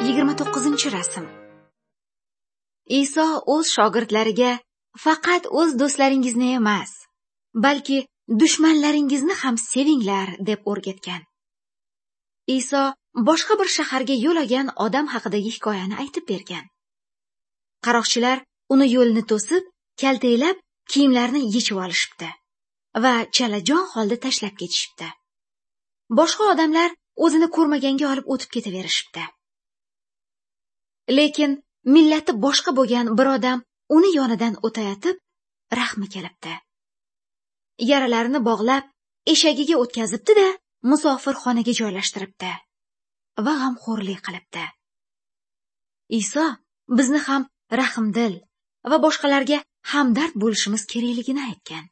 29-rasm. Iso o'z shogirdlariga faqat o'z do'stlaringizni emas, balki dushmanlaringizni ham sevinglar deb o'rgatgan. Iso boshqa bir shaharga yo'l olgan odam haqidagi hikoyani aytib bergan. Qaroqchilar uni yo'lni to'sib, kaltaklab kiyimlarini yechib olishibdi va chalajon holda tashlab ketishibdi. Boshqa odamlar o'zini ko'rmaganga olib o'tib ketaverishibdi. Lekin millati boshqa bo'lgan bir odam uni yonidan o'tayotib, rahmi kelibdi. Yaralarini bog'lab, eshagiga o'tkazibdi-da, musofirxonaga joylashtiribdi va g'amxo'rlik qilibdi. Iso bizni ham rahmdil va boshqalarga hamdard bo'lishimiz kerakligini aytgan.